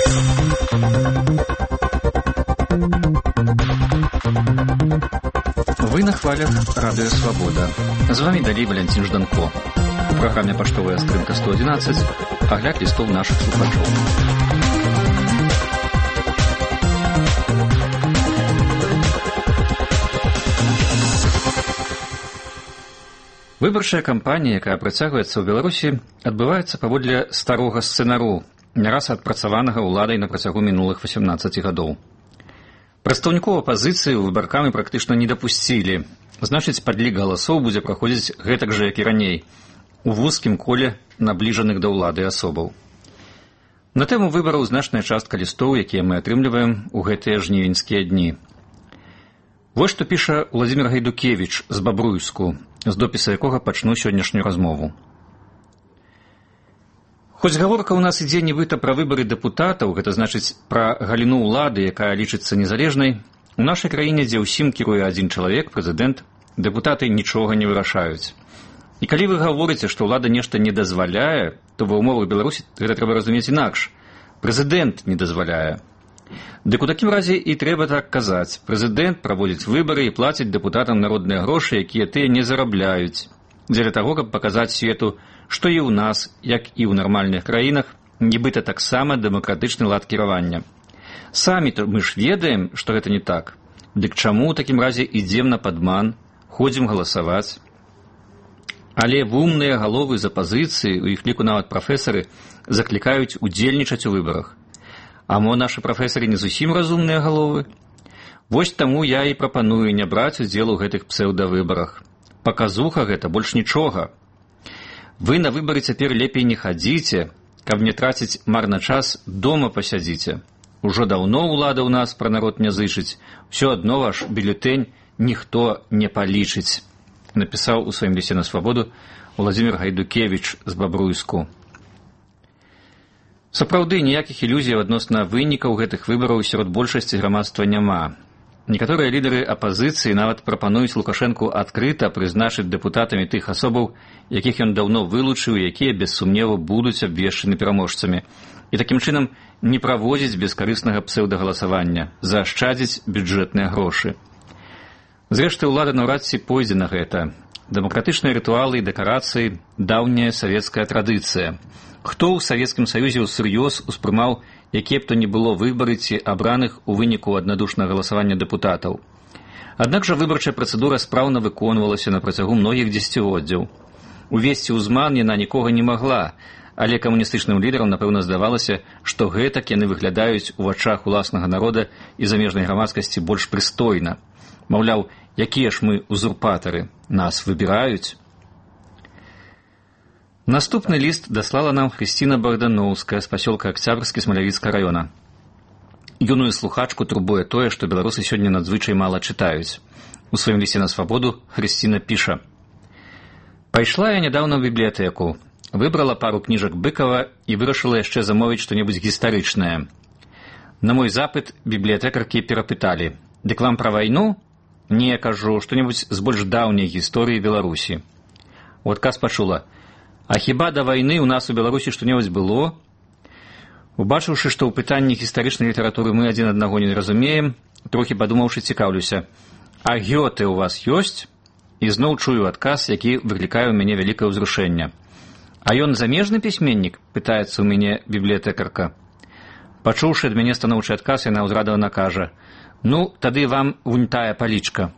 Вы на хвалях Радио Свобода. З вами далей Валентин Жданко. У праграме «Паштовая стрымка 111» агляд лістоў нашых слухачоў. Выбарчая кампанія, якая працягваецца ў Беларусі, адбываецца паводле старога сцэнару, не раз адпрацаванага ўладай на працягу мінулых 18 гадоў. Прадстаўнікоў апазіцыі выбаркамі практычна не дапусцілі. Значыць, падлік галасоў будзе праходзіць гэтак жа, як і раней, у вузкім коле набліжаных да ўлады асобаў. На тэму выбараў значная частка лістоў, якія мы атрымліваем у гэтыя жнівеньскія дні. Вось што піша Владзімір Гайдукевіч з Бабруйску, з допіса якога пачну сённяшнюю размову. Хоць гаворка ў нас ідзе нібыта пра выбары дэпутатаў, гэта значыць пра галіну ўлады, якая лічыцца незалежнай, у нашай краіне, дзе ўсім кіруе адзін чалавек, прэзідэнт, дэпутаты нічога не вырашаюць. І калі вы гаворыце, што ўлада нешта не дазваляе, то ва ўмовах Беларусі гэта трэба разумець інакш. Прэзідэнт не дазваляе. Дык у такім разе і трэба так казаць. Прэзідэнт праводзіць выбары і плаціць дэпутатам народныя грошы, якія тыя не зарабляюць. Дзеля таго, каб паказаць свету, што і ў нас, як і ў нармальных краінах, нібыта таксама дэмакратычны лад кіравання. Самі-то мы ж ведаем, што гэта не так. Дык чаму ў такім разе ідзем на падман, ходзім галасаваць? Але вумныя галовы з апазіцыі, у іх ліку нават прафесары, заклікаюць удзельнічаць у выбарах. А мо нашы прафесары не зусім разумныя галовы? Вось таму я і прапаную не браць удзел у гэтых псеўдавыбарах. Паказуха гэта, больш нічога. Вы на выбары цяпер лепей не хадзіце, каб не траціць марна час, дома пасядзіце. Ужо даўно ўлада ў нас пра народ не зычыць, усё адно ваш бюлетэнь ніхто не палічыць, напісаў у сваім лісце на свабоду Владзімір Гайдукевіч з Бабруйску. Сапраўды, ніякіх ілюзій адносна вынікаў гэтых выбараў сярод большасці грамадства няма. Некаторыя лідары апазіцыі нават прапануюць Лукашэнку адкрыта прызначыць дэпутатамі тых асобаў, якіх ён даўно вылучыў і якія, без сумневу, будуць абвешчаны пераможцамі. І такім чынам не праводзіць бескарыснага псеўдагаласавання, заашчадзіць бюджэтныя грошы. Зрэшты, ўлада наўрад ці пойдзе на гэта. Дэмакратычныя рытуалы і дэкарацыі – даўняя савецкая традыцыя. Хто ў Савецкім Саюзе ўсур'ёз успрымаў, якія б то не было выбары ці абраных у выніку аднадушнага галасавання дэпутатаў? Аднак жа выбарчая працэдура спраўна выконвалася на працягу многіх дзесяцігоддзяў. Увесці ўзман яна нікога не магла, але камуністычным лідарам, напэўна, здавалася, што гэтак яны выглядаюць у вачах уласнага народа і замежнай грамадскасці больш прыстойна. Маўляў, якія ж мы узурпатары, нас выбіраюць. Наступны ліст даслала нам Хрысціна Богдановская з пасёлка Акцябрскі Смалявіцкага раёна. Юную слухачку турбуе тое, што беларусы сёння надзвычай мала чытаюць. У сваім лісце на свабоду Хрысціна піша: «Пайшла я нядаўна ў бібліятэку, выбрала пару кніжак Быкова і вырашыла яшчэ замовіць што-небудзь гістарычнае. На мой запыт бібліятэкаркі перапыталі: «Дык вам пра вайну?» «Не, кажу, што-небудзь з больш даўняй гісторыі Беларусі». У адказ пачула: «А хіба да вайны ў нас у Беларусі што-небудзь было?» Убачыўшы, што ў пытанні гістарычнай літаратуры мы адзін аднаго не разумеем, трохі падумаўшы, цікаўлюся: «А Гёте ў вас ёсць?» І зноў чую адказ, які выклікае ў мяне вялікае ўзрушэнне. «А ён замежны пісьменнік?» – пытаецца ў мяне бібліятэкарка. Пачуўшы ад мяне станоўчы адказ, яна ўзрадавана кажа: «Ну, тады вам вунь тая палічка».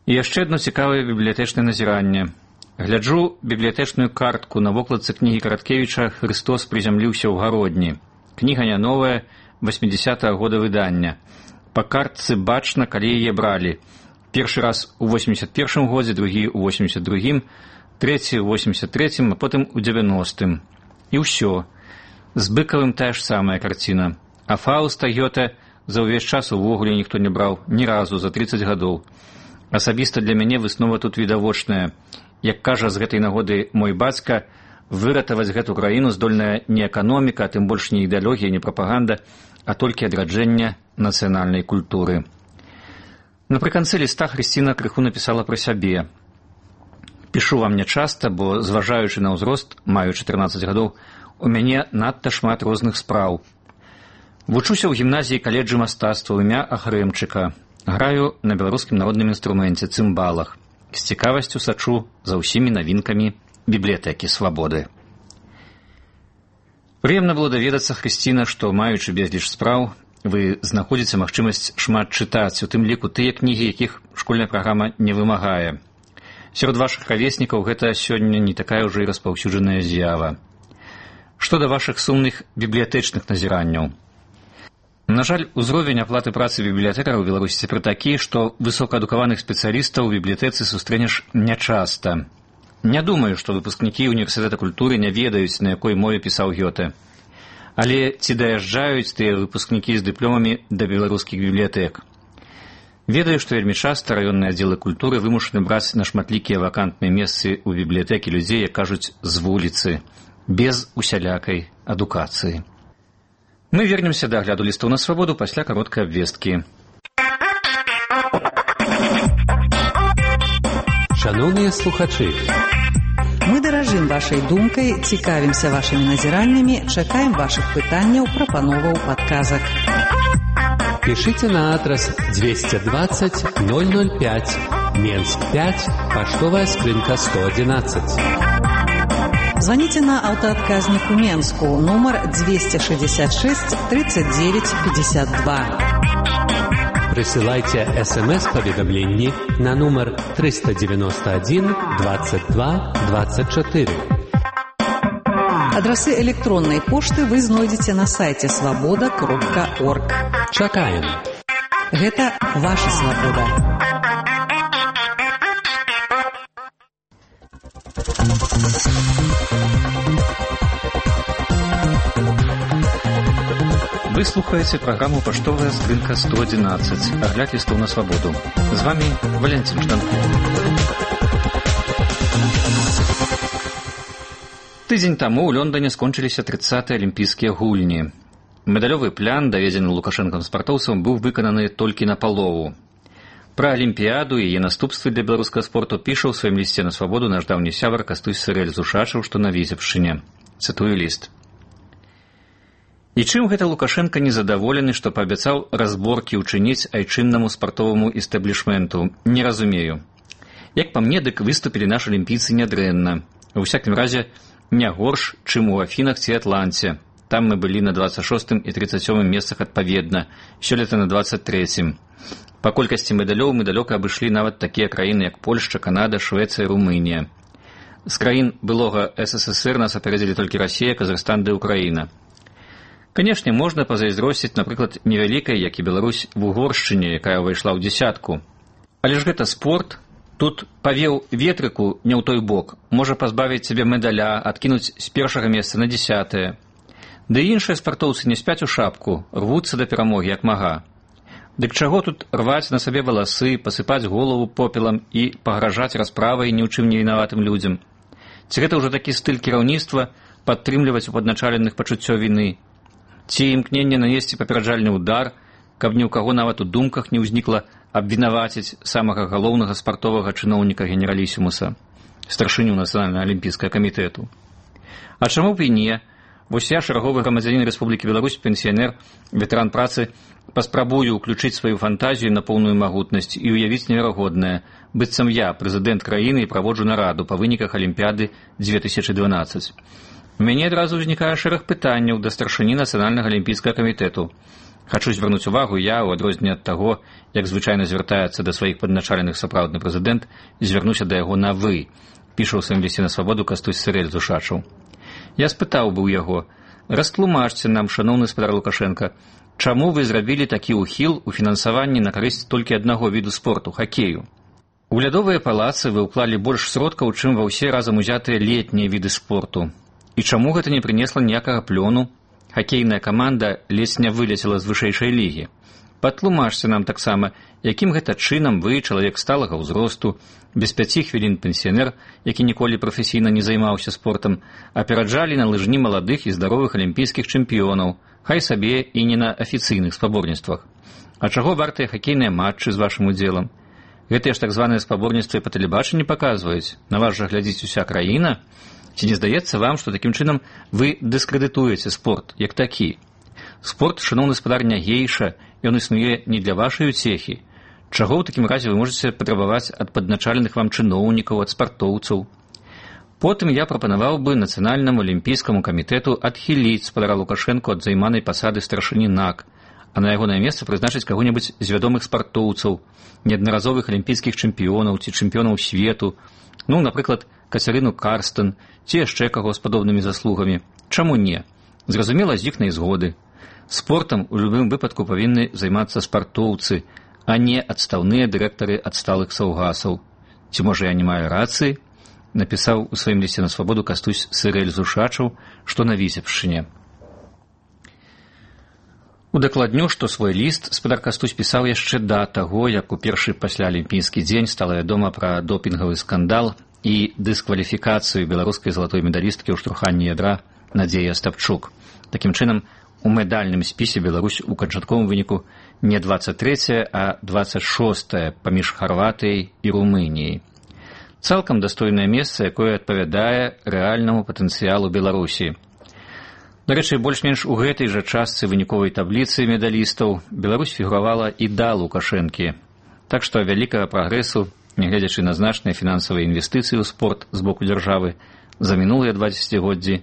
І яшчэ адно цікавае бібліятэчнае назіранне. Гляджу бібліятэчную картку на вокладцы кнігі Караткевіча «Хрыстос прызямліўся ў гародні». Кніга не новая, 80-го года выдання. Па картцы бачна, калі яе бралі. Першы раз у 81-м годзе, другі у 82-м, трэці у 83-м, а потым у 90-м. І ўсё. З Быкавым тая ж самая карціна. А Фауста Гёте за ўвесь час увогуле ніхто не браў, ні разу за 30 гадоў. Асабіста для мяне выснова тут відавочная. Як кажа з гэтай нагоды мой бацька, выратаваць гэту краіну здольная не эканоміка, а тым больш не ідэалогія, не прапаганда, а толькі адраджэнне нацыянальнай культуры. Напрыканцы ліста Хрысціна крыху напісала пра сябе. Пішу вам нячаста, бо, зважаючы на ўзрост, маю 14 гадоў, у мяне надта шмат розных спраў. Вучуся ў гімназіі каледжы мастацтва імя Ахрэмчыка. Граю на беларускім народным інструменце цымбалах. З цікавасцю сачу за ўсімі навінкамі бібліятэкі свабоды. Прыемна было даведацца, Хрысціна, што, маючы безліч спраў, вы знаходзіце магчымасць шмат чытаць, у тым ліку тыя кнігі, якіх школьная праграма не вымагае. Сярод вашых равеснікаў гэта сёння не такая ўжо і распаўсюджаная з'ява. Што да вашых сумных бібліятэчных назіранняў? На жаль, узровень аплаты працы бібліятэкараў у Беларусі цяпер такі, што высокаадукаваных спецыялістаў у бібліятэцы сустрэнеш нячаста. Не думаю, што выпускнікі універсітэта культуры не ведаюць, на якой мове пісаў Гёте. Але ці даязджаюць тыя выпускнікі з дыпломамі да беларускіх бібліятэк? Ведаю, што вельмі часта раённыя аддзелы культуры вымушаны браць на шматлікія вакантныя месцы ў бібліятэкі людзей, як кажуць, з вуліцы, без усялякай адукацыі. Мы вернемся да агляду лістаў на свабоду пасля кароткай абвесткі. Шановныя слухачы, мы даражым вашай думкай, цікавімся вашымі назіраннямі, чакаем вашых пытанняў, прапановаў, падказак. Пишите на адрес 220 005, Менск 5, поштовая скринка 111. Звоните на аўтаадказніку Менску, нумар 266 39 52. Присылайте СМС-поведомления на номер 391 22 24. Адрасы электронной пошты вы знойдзеце на сайте svoboda.org. Чакаем. Гэта ваша свабода. Вы слухаеце праграму «Паштовая скрынка 111», агляд лістаў на свабоду. З вами Валентин Жданков. Тыдзень таму ў Лондоне скончыліся 30-е алімпійскія гульні. Медалёвы плян, даведзены лукашэнкам спартоўцам, быў выкананы толькі напалову. Пра алімпіяду і яе наступствы для беларускага спорту піша ў сваім лісце на свабоду наш даўні сябар Кастусь Сырэль з Ушачаў, што на Віцебшчыне. Цытую ліст. І чым гэта Лукашенко незадаволены, што паабяцаў разборкі ўчыніць айчыннаму спартоваму істэблішменту? Не разумею. Як па мне, дык выступілі нашы алімпійцы нядрэнна. У всякім разе, не горш, чым у Афінах ці Атланце. Там мы былі на 26 і 37 месцах адпаведна, сёлета на 23. Па колькасці медалёў мы далёка абышлі нават такія краіны, як Польшча, Канада, Швецыя, Румынія. З краін былога СССР нас апярэдзілі толькі Расія, Казахстан ды Украіна. Канешне, можна пазайздросціць, напрыклад, невялікай, як і Беларусь, в Угоршчыне, якая ўвайшла ў дзясятку. Але ж гэта спорт. Тут павеў ветрыку не ў той бок, можа пазбавіць сябе медаля, адкінуць з першага месца на 10-е. Ды іншыя спартоўцы не спяць у шапку, рвуцца да перамогі, як мага. Дык чаго тут рваць на сабе валасы, пасыпаць голову попелам і пагражаць расправай ні ў чым не вінаватым людзям? Ці гэта ўжо такі стыль кіраўніцтва падтрымліваць у падначаленых пачуццё віны? Ці імкненне нанесці папераджальны ўдар, каб ні ў каго нават у думках не ўзнікла абвінаваціць самага галоўнага спартовага чыноўніка генералісімуса, старшыню Нацыянальнага алімпійскага камітэту? А чаму б і не? Вось я, шараговы грамадзянін Рэспублікі Беларусь, пенсіянер, ветэран працы, паспрабую ўключыць сваю фантазію на поўную магутнасць і ўявіць неверагоднае, быццам я, прэзідэнт краіны, і праводжу нараду па выніках Алімпіяды 2012. У мяне адразу ўзнікае шэраг пытанняў да старшыні Нацыянальнага алімпійскага камітэту. Хачу звярнуць увагу, я, у адрозненне ад таго, як звычайна звяртаецца да сваіх падначаленых сапраўдны прэзідэнт, звярнуся да яго на «вы», піша ў сваім лісце на свабоду Кастусь Сырэль з Ушачаў. Я спытаў бы ў яго: растлумачце нам, шаноўны спадар Лукашенка, чаму вы зрабілі такі ўхіл у фінансаванні на карысць толькі аднаго віду спорту — хакею? У лядовыя палацы вы ўклалі больш сродкаў, чым ва ўсе разам узятыя летнія віды спорту. І чаму гэта не прынесла ніякага плёну? Хакейная каманда ледзь не вылецела з вышэйшай лігі. Патлумачце нам таксама, якім гэта чынам вы, чалавек сталага ўзросту, без 5 хвілін пенсіянер, які ніколі прафесійна не займаўся спортам, апераджалі на лыжні маладых і здаровых алімпійскіх чэмпіёнаў, хай сабе і не на афіцыйных спаборніцтвах. А чаго вартыя хакейныя матчы з вашым удзелам? Гэтыя ж так званыя спаборніцтвы па тэлебачанні паказваюць. На вас жа глядзіць уся краіна. Ці не здаецца вам, што такім чынам вы дыскрэдытуеце спорт як такі? Спорт, шаноўны гаспадар, не гейша, ён існуе не для вашай уцехі. Чаго ў такім разе вы можаце патрабаваць ад падначаленых вам чыноўнікаў, ад спартоўцаў? Потым я прапанаваў бы Нацыянальнаму алімпійскаму камітэту адхіліць спадара Лукашэнку ад займанай пасады старшыні НАК, а на ягонае месца прызначыць каго-небудзь з вядомых спартоўцаў, неаднаразовых алімпійскіх чэмпіёнаў ці чэмпіёнаў свету, напрыклад, Кацярыну Карстен, ці яшчэ каго з падобнымі заслугамі. Чаму не? Зразумела, з іхнай згоды. Спортам у любым выпадку павінны займацца спартоўцы, а не адстаўныя дырэктары адсталых саўгасаў. Ці можа я не маю рацыі? Напісаў у сваім лісце на свабоду Кастусь Сырэль Зушачаў, што на Віцебшчыне. Удакладню, што свой ліст спадар Кастусь пісаў яшчэ да таго, як у першы пасля алімпійскі дзень стала вядома пра допінгавы скандал і дыскваліфікацыю беларускай залатой медалісткі ў штурханні ядра Надзеі Астапчук. Такім чынам, у медальным спісе Беларусь у канчатковым выніку не 23-е, а 26-е паміж Харватыяй і Румыніяй. Цалкам дастойнае месца, якое адпавядае рэальнаму патэнцыялу Беларусі. Дарэчы, больш-менш у гэтай жа частцы выніковай табліцы медалістаў Беларусь фігуравала і да Лукашэнкі. Так што вялікага прагрэсу, нягледзячы на значныя фінансавыя інвестыцыі ў спорт з боку дзяржавы, за мінулыя 20годдзі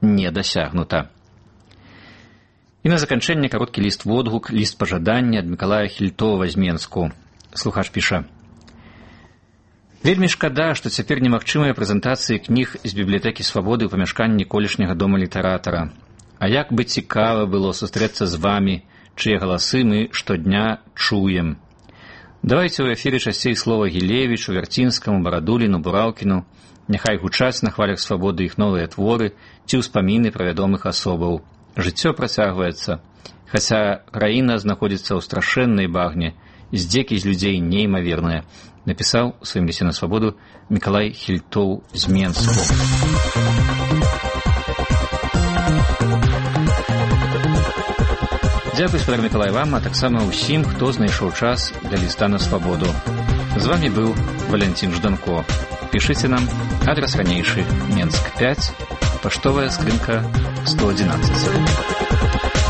не дасягнута. І на заканчэнне кароткі ліст-водгук, ліст пажадання ад Мікалая Хільтова з Менску. Слухач піша: «Вельмі шкада, што цяпер немагчымыя прэзентацыі кніг з бібліятэкі Свабоды ў памяшканні колішняга дома літаратара. А як бы цікава было сустрэцца з вамі, чые галасы мы штодня чуем. Давайце ў эфіры часцей слова Гілевічу, Вярцінскаму, Барадуліну, Бураўкіну. Няхай гучаць на хвалях Свабоды іх новыя творы ці ўспаміны пра вядомых асобаў. Жыццё працягваецца. Хаця краіна знаходзіцца ў страшэннай багне, здзекі з людзей неймаверныя», напісаў у сваім лісце на Свабоду Мікалай Хільтоў з Менску. Дзякуй, спадар Мікалай, вам, а таксама ўсім, хто знайшоў час для ліста на Свабоду. З вамі быў Валянцін Жданко. Пішыце нам, адрас ранейшы, Менск 5, паштовая скрынка 111.